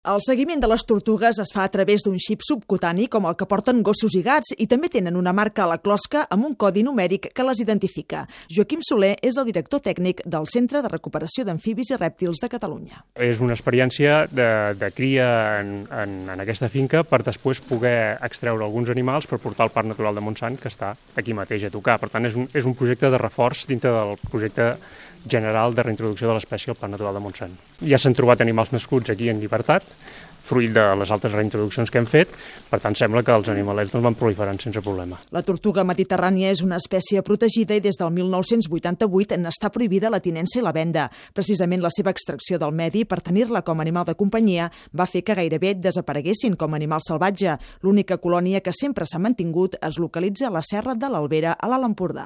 El seguiment de les tortugues es fa a través d'un xip subcutani com el que porten gossos i gats i també tenen una marca a la closca amb un codi numèric que les identifica. Joaquim Soler és el director tècnic del Centre de Recuperació d'Amfibis i Rèptils de Catalunya. És una experiència de cria en aquesta finca per després poder extreure alguns animals per portar al Parc Natural de Montsant, que està aquí mateix a tocar. Per tant, és un projecte de reforç dintre del projecte general de reintroducció de l'espècie al Parc Natural de Montsant. Ja s'han trobat animals nascuts aquí en llibertat, fruit de les altres reintroduccions que hem fet, per tant sembla que els animalets van proliferant sense problema. La tortuga mediterrània és una espècie protegida i des del 1988 n'està prohibida la tinença i la venda. Precisament la seva extracció del medi per tenir-la com a animal de companyia va fer que gairebé desapareguessin com a animal salvatge. L'única colònia que sempre s'ha mantingut es localitza a la Serra de l'Albera, a l'Alt Empordà.